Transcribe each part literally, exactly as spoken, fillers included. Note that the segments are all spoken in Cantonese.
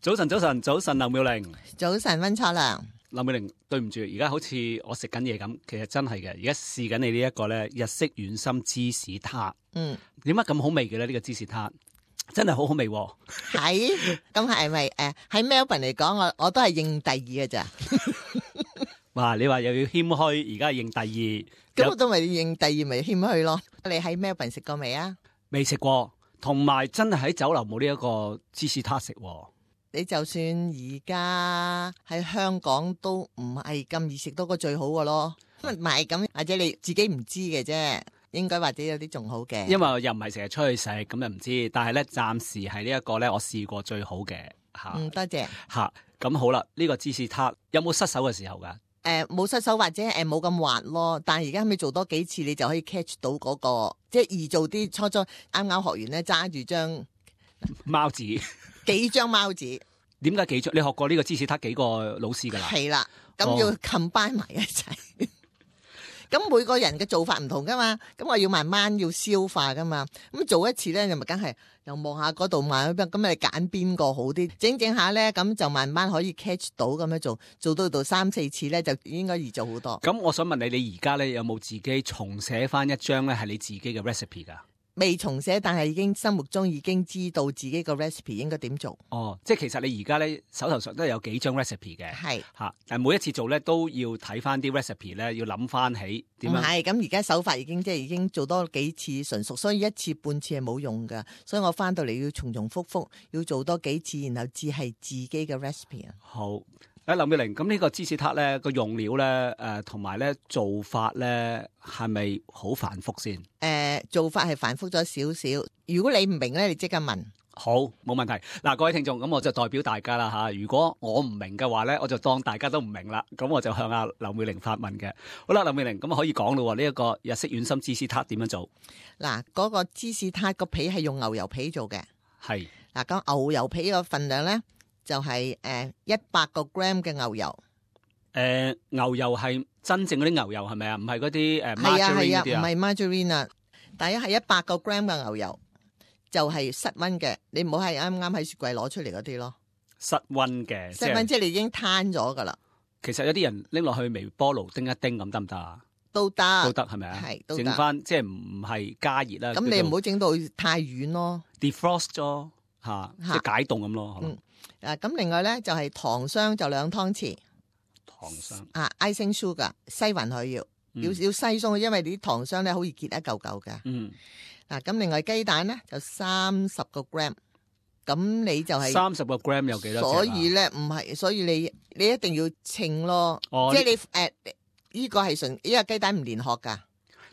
早晨，早晨，早晨，劉妙玲。早晨，溫卓良。劉妙玲，對唔住，而家好似我食緊嘢咁，其實真係嘅。而家試緊你呢一個咧日式軟心芝士撻。嗯，點解咁好味嘅咧？呢、這個芝士撻真係好好味、啊。係，咁係咪誒喺 Melbourne 嚟講，我我都係認第二嘅咋。哇！你話又要謙虛，而家認第二，咁我都咪認第二，咪謙虛咯。你喺 Melbourne 食過未啊？未食過，同埋真係喺酒樓冇呢一個芝士撻食。你就算而家喺香港都唔係咁易食到個最好嘅咯，唔係咁，或者你自己唔知嘅啫，應該或者有啲仲好嘅。因為又唔係成日出去食，咁又唔知。但係咧，暫時係呢一個咧，我試過最好嘅吓。嗯，多謝吓。咁好啦，呢、這個芝士撻有冇失手嘅時候噶？誒、呃，冇失手或者誒冇咁滑咯。但係而家咪做多幾次，你就可以 catch 到嗰、那個，即係易做啲。初初啱啱學完咧，揸住張貓紙。幾張貓紙？點解幾張？你學過呢個芝士撻幾個老師噶啦？係啦，咁要 combine 埋一齊。咁、哦、每個人嘅做法唔同噶嘛，咁我要慢慢要消化噶嘛。咁做一次咧，你咪梗係又望下嗰度慢咁，咁你揀邊個好啲？整整下咧，咁就慢慢可以 catch 到咁樣做，做到到三四次咧，就應該易做好多。咁我想問你，你而家咧有冇自己重寫翻一張咧係你自己嘅 recipe 噶？未重寫，但係已經心目中已經知道自己個 recipe 應該點做。哦，即係其實你而家咧手頭上都有幾張 recipe 嘅。係吓，但係每一次做咧都要睇翻啲 recipe 咧，要諗翻起點樣。唔係，咁而家手法已經即係已經做多幾次純熟，所以一次半次係冇用噶。所以我翻到嚟要重重複複，要做多幾次，然後至係自己嘅 recipe 啊。好。誒，劉妙玲，咁呢個芝士撻咧個用料咧，誒同埋咧做法咧係咪好繁複先？誒、呃，做法係繁複咗少少。如果你唔明咧，你即刻問。好，冇問題。嗱，各位聽眾，咁我就代表大家啦吓。如果我唔明嘅話咧，我就當大家都唔明啦。咁我就向阿劉妙玲發問嘅。好啦，劉妙玲，咁可以講咯。呢、這、一個日式軟心芝士撻點樣做？嗱，嗰個芝士撻個皮係用牛油皮做嘅。係。嗱，咁牛油皮個份量咧？就係誒一百個 gram 嘅牛油，誒、呃、牛油係真正嗰啲牛油係咪啊？唔係嗰啲誒 margarine 嗰啲啊？唔係 margarine 啊，第一係一百個 gram 嘅牛油，就係、是、室溫嘅，你唔好係啱啱喺雪櫃攞出嚟嗰啲咯。室溫嘅，室溫即係你已經攤咗噶啦。其實有啲人拎落去微波爐叮一叮咁得唔得啊？都得，都得係咪啊？係，整翻即係唔係加熱啦。咁你唔好整到太軟咯。defrost 咗嚇，即係解凍咁咯。嗯。啊，咁另外咧就係、是、糖霜就兩湯匙，糖霜啊 icing sugar 篩勻佢要，嗯、要要篩鬆，因為啲糖霜咧好易結一嚿嚿嘅。嗯，嗱、啊、咁另外雞蛋咧就三十個 gram， 咁你就係三十個 gram 有幾多隻、啊？所以咧唔係，所以你你一定要稱咯，哦、即係你誒呢、呃這個係純，呢、這個雞蛋唔連殼噶，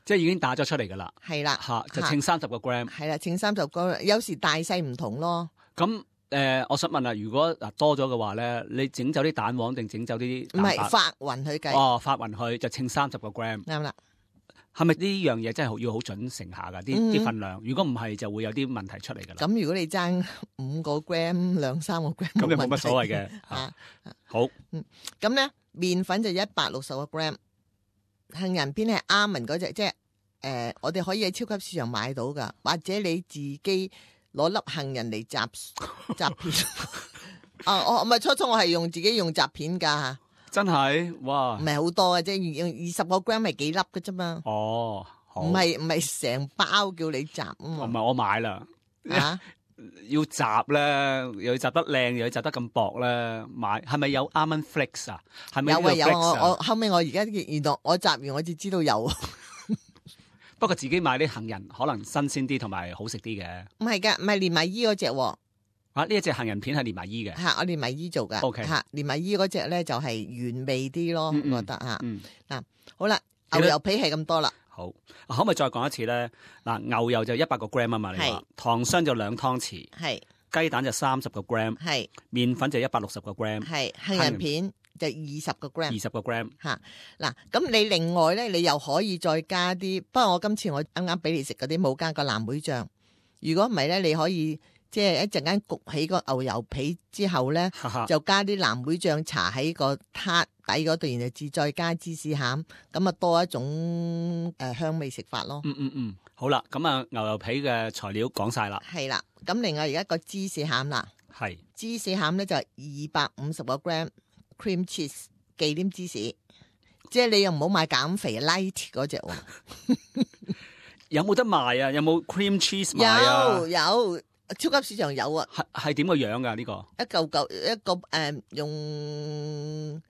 即係已經打咗出嚟噶啦。係啦，吓就稱三十個 gram， 係啦，稱三十個，有時大細唔同咯。咁。誒、呃，我想問啦，如果嗱多咗嘅話咧，你整走啲蛋黃定整走啲？唔係發勻佢計。哦，發勻佢就稱三十個 gram。啱啦。係咪呢樣嘢真係要好準成下噶？啲啲份量，如果唔係就會有啲問題出嚟噶啦。咁如果你爭五個 gram 兩三個 gram， 咁就冇乜所謂嘅。啊，好。嗯，咁咧麵粉就一百六十個 gram， 杏仁片係阿文嗰隻，即係誒、呃，我哋可以喺超級市場買到噶，或者你自己。攞粒杏仁嚟摘摘片啊！我唔係初初我係用自己用摘片噶，真係哇！唔係好多嘅啫，用二十個 gram 係幾粒嘅啫嘛。哦，唔係唔係成包叫你摘啊嘛。唔係我買啦，啊要摘咧，又要摘得靚，又要摘得咁薄咧，買係咪有 almond flakes 啊？係咪有啊有啊？我我後尾我而家原來我摘完我至知道有。不過自己買啲杏仁可能新鮮啲同埋好食啲嘅。唔係噶，唔係連埋衣嗰隻。啊，呢一隻杏仁片係連埋衣嘅。吓，我連埋衣做噶。O K。吓，連埋衣嗰隻咧就係原味啲咯，嗯嗯我覺得吓。嗯。嗱，好啦，牛油皮係咁多啦。好，可唔可以再講一次咧？嗱，牛油就一百個 gram 啊嘛，你話。糖霜就兩湯匙。係。雞蛋就三十個 gram。係。麵粉就一百六十個 gram。係。杏仁片。就二十個 gram，二十個 gram 吓嗱，咁你另外咧，你又可以再加啲。不過我今次我啱啱俾你食嗰啲冇加個藍莓醬。如果唔係咧，你可以即係一陣間焗起個牛油皮之後咧，就加啲藍莓醬搽喺個撻底嗰度，然後至再加芝士餡，咁啊多一種誒、呃、香味食法咯。嗯嗯嗯，好啦，咁啊牛油皮嘅材料講晒啦。係啦，咁另外而家個芝士餡啦。係芝士餡咧就係二百五十個 gram cream cheese 忌廉芝士，即係你又唔好買減肥 light 嗰隻喎。有冇得賣啊？有冇 cream cheese 賣啊？有有，超級市場有啊。係係點個樣噶呢個？一嚿嚿一個誒、呃，用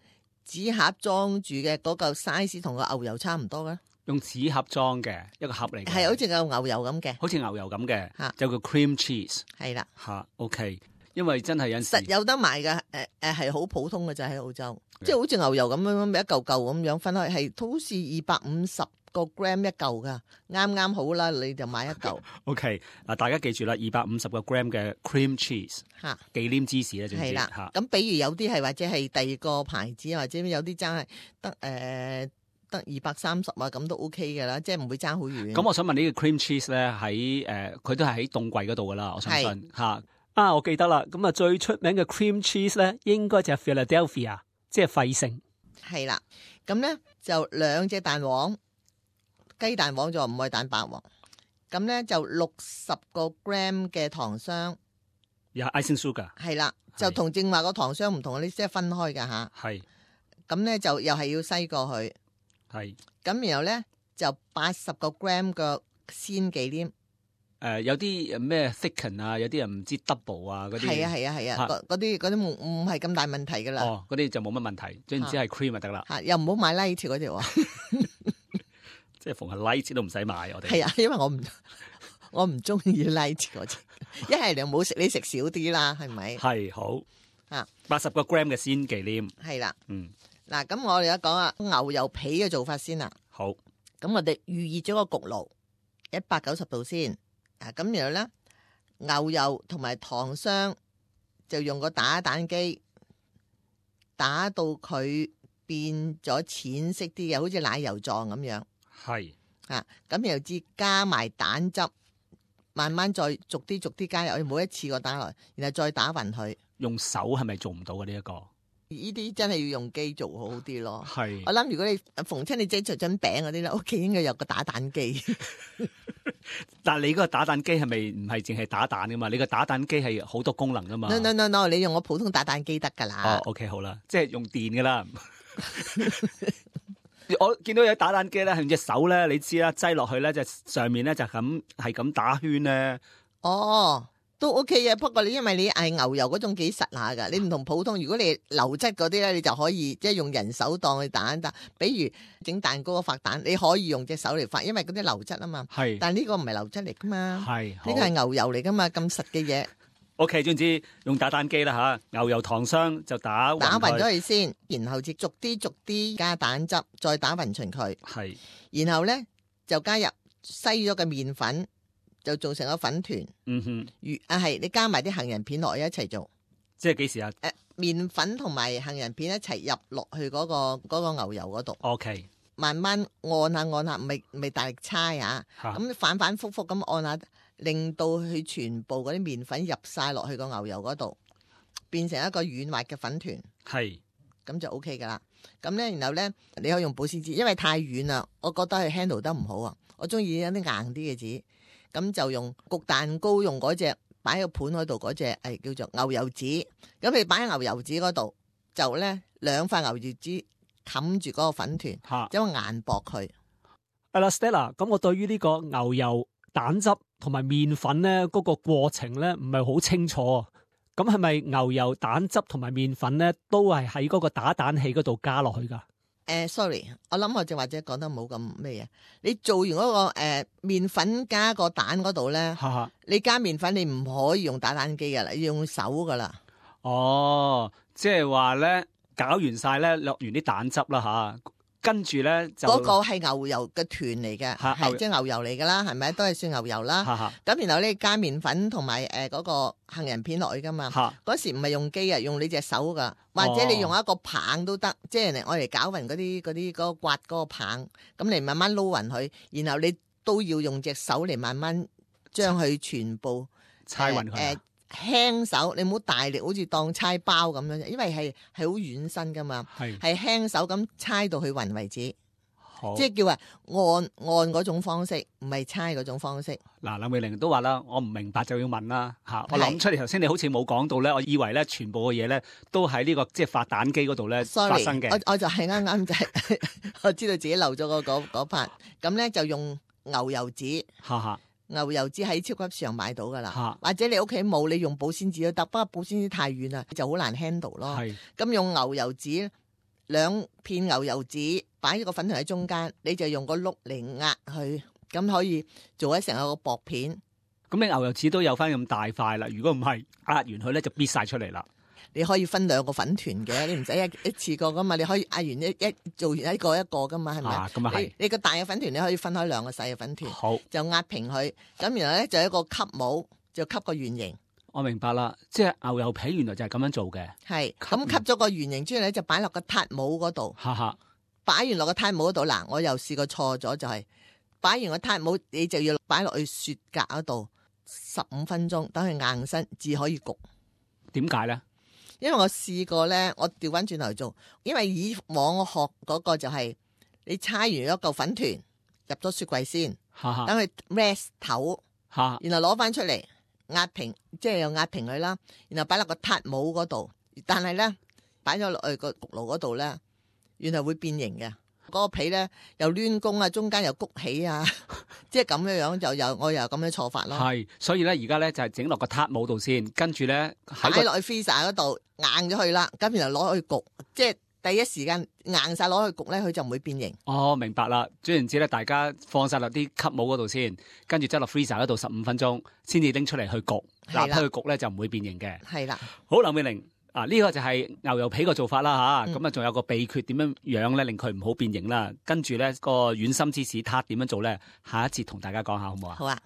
紙盒裝住嘅嗰嚿 size 同個牛油差唔多嘅。用紙盒裝嘅一個盒嚟嘅，係好似個牛油咁嘅，好似牛油咁嘅，吓就叫 cream cheese。係啦，吓 OK，因為真係有時實有得賣嘅，誒誒係好普通嘅就喺澳洲，即係好似牛油咁樣一嚿嚿咁樣分開，係好似二百五十個 gram 一嚿噶，啱啱好啦，你就買一嚿。OK，嗱大家記住啦，二百五十個 gram 嘅 cream cheese，吓忌廉芝士咧，係啦，吓咁，比如有啲係或者係第二個牌子，或者有啲真係得誒。呃得二百三十啊，咁都 OK 嘅啦，即係唔會爭好遠。咁我想問呢個 cream cheese 咧，喺誒佢都係喺凍櫃嗰度噶啦，我相信嚇。啊，我記得啦，咁啊最出名嘅 cream cheese 咧，應該就係 Philadelphia，即係費城。係啦，咁咧就兩隻蛋黃，雞蛋黃就唔係蛋白黃。咁咧就六十個 gram 嘅糖霜，又係 icing sugar。係啦，就同正話個糖霜唔同，你即係分開㗎吓。係。咁咧就又係要篩過去。係，咁然後咧就八十個 gram 嘅鮮忌廉，誒、呃、有啲咩 thicken 啊，有啲人唔知 double 啊嗰啲，係啊係啊係啊，嗰啲嗰啲唔唔係咁大問題噶啦，哦嗰啲就冇乜問題，總之係 cream 就得啦，嚇又唔好買 light 嗰條喎，即係逢係 light 都唔使買我哋，係啊，因為我唔我唔中意 light 嗰隻，一係你唔好食，你食少啲啦，係咪？係好啊，八十個 gram 嘅鮮忌廉，係啦，嗯。嗱，咁我哋而家講下牛油皮嘅做法先啦。好，咁我哋預熱咗個焗爐一百九十度先。啊，咁然後咧牛油同埋糖霜就用個打蛋機打到佢變咗淺色啲嘅，好似奶油狀咁樣。係啊，咁然後至加埋蛋汁，慢慢再逐啲逐啲加入去，每一次個打落，然後再打勻佢。用手係咪做唔到嘅呢一個？呢啲真係要用機做好啲咯。係，我諗如果你逢親你整做緊餅嗰啲咧，屋企應該有個打蛋機。但係你嗰個打蛋機係咪唔係淨係打蛋噶嘛？你個打蛋機係好多功能噶嘛 ？No no no no，你用我普通打蛋機得噶啦。哦 ，OK 好啦，即係用電噶啦。我見到有打蛋機咧，係用隻手咧，你知啦，擠落去咧，就上面咧就咁係咁打圈咧。哦。都 OK 嘅，不過你因為你係牛油嗰種幾實下噶，你唔同普通。如果你流質嗰啲咧，你就可以即係用人手當去打蛋。比如整蛋糕發蛋，你可以用隻手嚟發，因為嗰啲流質啊嘛。係，但係呢個唔係流質嚟噶嘛。係，呢個係牛油嚟噶嘛，咁實嘅嘢。OK，總之用打蛋機啦吓，牛油糖霜就打打勻咗佢先，然後至逐啲逐啲加蛋汁，再打勻勻佢。係，然後咧就加入篩咗嘅麵粉。就做成個粉團，嗯哼，如啊係你加埋啲杏仁片落去一齊做，即係幾時啊？誒、呃，麵粉同埋杏仁片一齊入落去嗰、那個嗰、那個牛油嗰度。O K，慢慢按下按下，唔係唔係大力搓啊，咁反反复复咁按下，令到佢全部嗰啲麵粉入晒落去個牛油嗰度，變成一個軟滑嘅粉團。係，咁就 O K 噶啦。咁咧，然後咧，你可以用保鮮紙，因為太軟啦，我覺得佢 handle 得唔好啊。我中意有啲硬啲嘅紙。咁就用焗蛋糕用嗰隻擺喺個盤嗰度嗰隻係叫做牛油紙，咁你擺喺牛油紙嗰度就咧兩塊牛油紙冚住嗰個粉團，將個硬薄佢。阿 Stella，咁我對於呢個牛油蛋汁同埋麵粉咧嗰個過程咧唔係好清楚啊。咁係咪牛油蛋汁同埋麵粉咧都係喺嗰個打蛋器嗰度加落去噶？誒、呃、sorry， 我諗我就或者講得冇咁咩嘢。你做完嗰、那個誒、呃、麵粉加個蛋嗰度咧，你加麵粉你唔可以用打蛋機噶啦，要用手噶啦。哦，即係話咧，搞完晒咧，落完啲蛋汁啦吓，跟住咧就嗰、那個係牛油嘅團嚟嘅，係即係牛油嚟噶啦，係咪都係算牛油啦。咁然後咧加麵粉同埋誒嗰個杏仁片落去噶嘛。嗰時唔係用機啊，用你隻手噶。或者你用一個棒都得，哦、即係嚟我嚟攪勻嗰啲嗰啲嗰個刮嗰個棒，咁嚟慢慢撈勻佢，然後你都要用隻手嚟慢慢將佢全部搓勻佢。誒輕手，你唔好大力，好似當搓包咁樣，因為係係好軟身噶嘛，係輕手咁搓到佢勻為止。即係叫話按按嗰種方式，唔係猜嗰種方式。嗱，林美玲都話啦，我唔明白就要問啦嚇。我諗出嚟頭先你好似冇講到咧，我以為咧全部嘅嘢咧都喺呢個即係發蛋機嗰度咧發生嘅。我我就係啱啱就係我知道自己漏咗個嗰嗰 part，咁咧就用牛油紙。哈哈。牛油紙喺超級市場買到噶啦，或者你屋企冇，你用保鮮紙都得，不過保鮮紙太軟啦，就好難 handle 咯。咁用牛油紙，兩片牛油紙擺一個粉團喺中間，你就用個碌嚟壓佢，咁可以做一成個薄片。咁你牛油紙都有翻咁大塊啦，如果唔係壓完佢咧就搣晒出嚟啦。你可以分兩個粉團嘅，你唔使一一次過噶嘛，你可以壓完一一做完一個一個噶嘛，係咪？啊，咁啊係。你個大嘅粉團你可以分開兩個細嘅粉團，好，就壓平佢。咁然後咧就有一個吸帽，就吸個圓形。我明白啦，即係牛油皮原來就係咁樣做嘅。係，咁吸咗個圓形之後咧，就擺落個撻帽嗰度。哈哈，擺完落個撻帽嗰度，嗱，我又試過錯咗，就係、是、擺完個撻帽，你就要擺落去雪格嗰度十五分鐘，等佢硬身至可以焗。點解咧？因為我試過咧，我調翻轉頭做，因為以往我學嗰個就係、是、你搓完一嚿粉團入咗雪櫃先，等佢 rest 頭，然後攞翻出嚟壓平，即係又壓平佢啦，然後擺落個撻帽嗰度，但係咧擺咗落去個焗爐嗰度咧，原來會變形嘅。嗰、那個皮咧又攣弓啊，中間又谷起啊，即係咁樣樣就又我又咁樣錯法咯。係，所以咧而家咧就係整落個撻帽度先，跟住咧擺落去 freezer 嗰度硬咗佢啦，咁然後攞去焗，即係第一時間硬晒攞去焗咧，佢就唔會變形。哦，明白啦。總言之咧，大家放晒落啲吸帽嗰度先，跟住執落 freezer 嗰度十五分鐘，先至拎出嚟去焗。嗱，去焗咧就唔會變形嘅。係啦。好，林美玲。啊！呢、這個就係牛油皮個做法啦吓，咁啊仲有個秘訣點樣樣咧，令佢唔好變形啦。跟住咧個軟心芝士撻點樣做咧，下一節同大家講下好唔好啊？好啊。